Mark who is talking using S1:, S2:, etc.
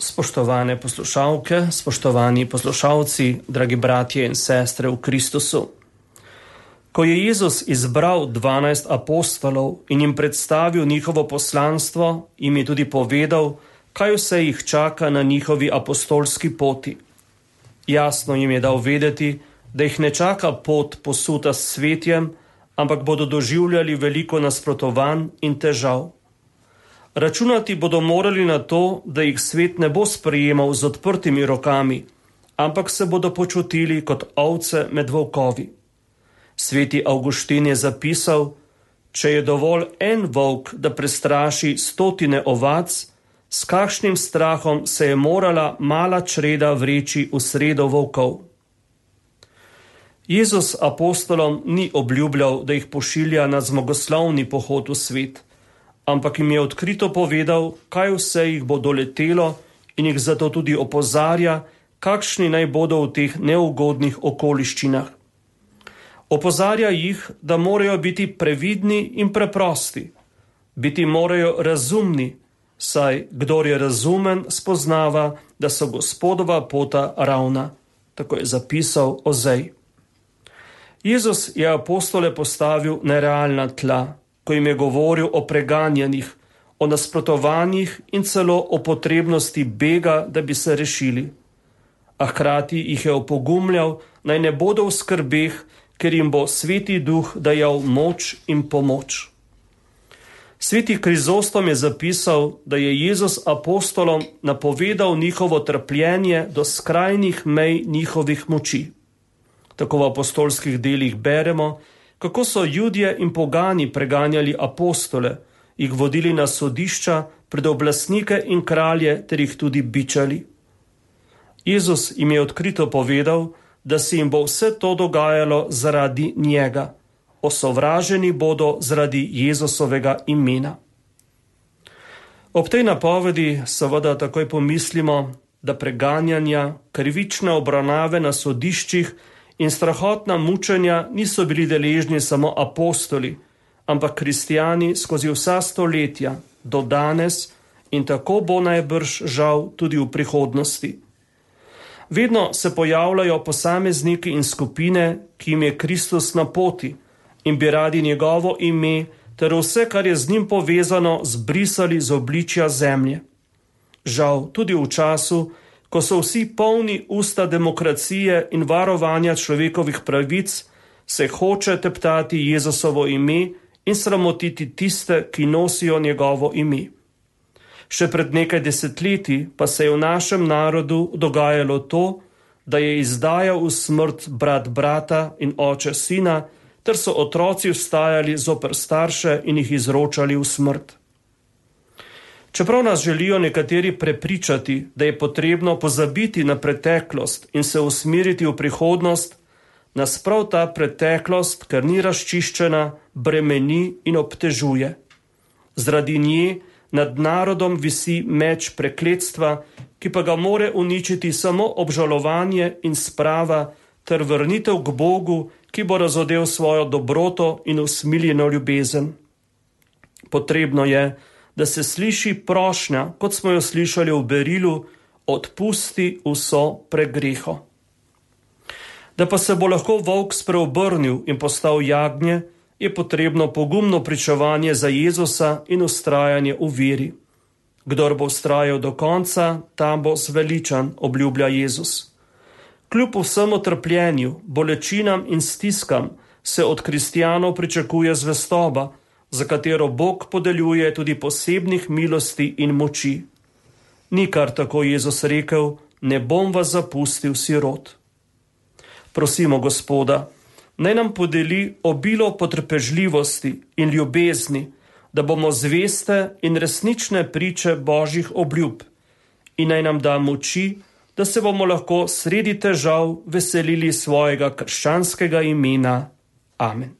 S1: Spoštovane poslušalke, spoštovani poslušalci, dragi bratje in sestre v Kristusu. Ko je Jezus izbral 12 apostolov in jim predstavil njihovo poslanstvo, jim je tudi povedal, kaj vse jih čaka na njihovi apostolski poti. Jasno jim je dal vedeti, da jih ne čaka pot posuta s cvetjem, ampak bodo doživljali veliko nasprotovanj in težav. Računati bodo morali na to, da jih svet ne bo sprejemal z odprtimi rokami, ampak se bodo počutili kot ovce med volkovi. Sveti Avguštin je zapisal, če je dovolj en volk, da prestraši 100 ovac, s kakšnim strahom se je morala mala čreda vreči v sredo volkov. Jezus apostolom ni obljubljal, da jih pošilja na zmagoslavni pohod v svet, ampak jim je odkrito povedal, kaj vse jih bo doletelo in jih zato tudi opozarja, kakšni naj bodo v teh neugodnih okoliščinah. Opozarja jih, da morajo biti previdni in preprosti. Biti morajo razumni, saj kdor je razumen, spoznava, da so Gospodova pota ravna. Tako je zapisal Ozej. Jezus je apostole postavil na realna tla, ko jim je govoril o preganjanjih, o nasprotovanjih in celo o potrebnosti bega, da bi se rešili. A hkrati jih je opogumljal, naj ne bodo v skrbeh, ker jim bo Sveti Duh dajal moč in pomoč. Sveti Krizostom je zapisal, da je Jezus apostolom napovedal njihovo trpljenje do skrajnih mej njihovih moči. Tako v apostolskih delih beremo, kako so Judje in pogani preganjali apostole, jih vodili na sodišča, pred oblastnike in kralje ter jih tudi bičali. Jezus jim je odkrito povedal, da se jim bo vse to dogajalo zaradi njega. Osovraženi bodo zaradi Jezusovega imena. Ob tej napovedi seveda takoj pomislimo, da preganjanja, krivične obravnave na sodiščih in strahotna mučenja niso bili deležni samo apostoli, ampak kristijani skozi vsa stoletja, do danes in tako bo najbrž žal tudi v prihodnosti. Vedno se pojavljajo posamezniki in skupine, ki jim je Kristus na poti in bi radi njegovo ime ter vse, kar je z njim povezano, zbrisali z obličja zemlje. Žal tudi v času, ko so vsi polni usta demokracije in varovanja človekovih pravic, se hoče teptati Jezusovo ime in sramotiti tiste, ki nosijo njegovo ime. Še pred nekaj desetletji pa se je v našem narodu dogajalo to, da je izdajal v smrt brat brata in oče sina, ter so otroci vstajali zoper starše in jih izročali v smrt. Čeprav nas želijo nekateri prepričati, da je potrebno pozabiti na preteklost in se usmeriti v prihodnost, nas prav ta preteklost, ker ni razčiščena, bremeni in obtežuje. Zaradi nje nad narodom visi meč prekletstva, ki pa ga more uničiti samo obžalovanje in sprava ter vrnitev k Bogu, ki bo razodel svojo dobroto in usmiljeno ljubezen. Potrebno je, da se sliši prošnja, kot smo jo slišali v berilu, odpusti vso pregreho. Da pa se bo lahko volk spreobrnil in postal jagnje, je potrebno pogumno pričevanje za Jezusa in vztrajanje v veri. Kdor bo vztrajal do konca, tam bo zveličan, obljublja Jezus. Kljub vsemu trpljenju, bolečinam in stiskam se od kristjanov pričakuje zvestoba, za katero Bog podeljuje tudi posebnih milosti in moči. Ni kar tako Jezus rekel, ne bom vas zapustil sirot. Prosimo Gospoda, naj nam podeli obilo potrpežljivosti in ljubezni, da bomo zveste in resnične priče Božjih obljub in naj nam da moči, da se bomo lahko sredi težav veselili svojega krščanskega imena. Amen.